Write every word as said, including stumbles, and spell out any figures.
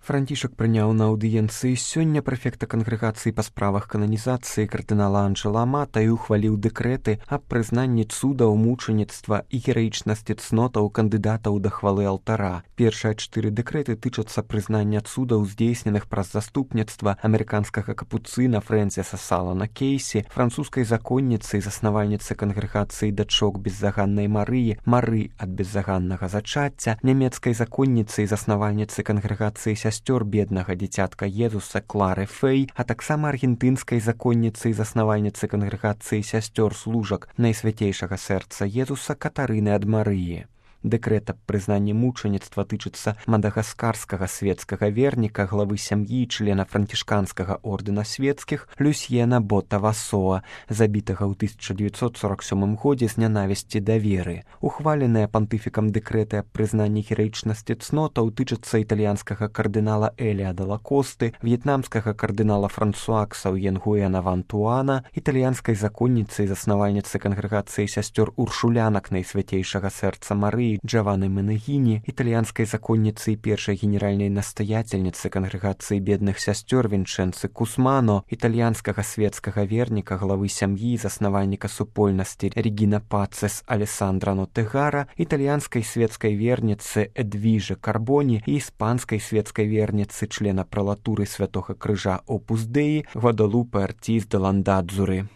Францішак прыняў на аўдыенцыі сёння прэфекта кангрэгацыі па справах кананізацыі кардынала Анджела Амата і ухваліў дэкрэты аб прызнанні цудаў, мучаніцтва і гераічнасці цнотаў кандыдатаў да хвалы алтара. Першыя чатыры дэкрэты тычацца прызнання цудаў, здзейсненых праз заступніцтва амерыканскага капуцына Фрэнсіса Салана Кейсі, французскай законніцы і заснавальніцы кангрэгацыі дачок беззаганнай Марыі, Мары ад беззаганнага зачацця, нямецкай законніцы і заснавальніцы кангрэгацыі сясцёр беднага дзіцятка Езуса Клары Фэй, а таксама аргентынскай законніцы і заснавальніцы кангрэгацыі сясцёр служак Найсвяцейшага сэрца Езуса Катарыны ад Марыі. Дэкрэт аб прызнанні мучаніцтва тычыцца мадагаскарскага свецкага верніка, главы сям'і і члена францішканскага ордэна свецкіх Люсьена Бота Васоа, забітага ў тысяча дзевяцьсот сорак сёмым годзе з нянавісці да веры. Ухваленыя пантыфікам дэкрэты аб прызнанні гераічнасці цнотаў тычацца італьянскага кардынала Эліада Лакосты, в'етнамскага кардынала Франсуа Ксаўен-Гуэна Вантуана, італьянскай законніцы і заснавальніцы кангрэгацыі сясцёр уршулянак Найсвяцейшага сэрца Марыі Джаваны Менегіні, італьянскай законніцы і першай генеральнай настаяцельніцы кангрэгацыі бедных сясцёр Вінчэнцы Кусмано, італьянскага свецкага верніка, главы сям'і і заснавальніка супольнасці Регіна Пацес Алессандра Нотэгара, італьянскай свецкай верніцы Эдвіжы Карбоні і іспанскай свецкай верніцы, члена пралатуры Святога Крыжа Опус Деі Гвадалупе Артіз де Ландадзуры.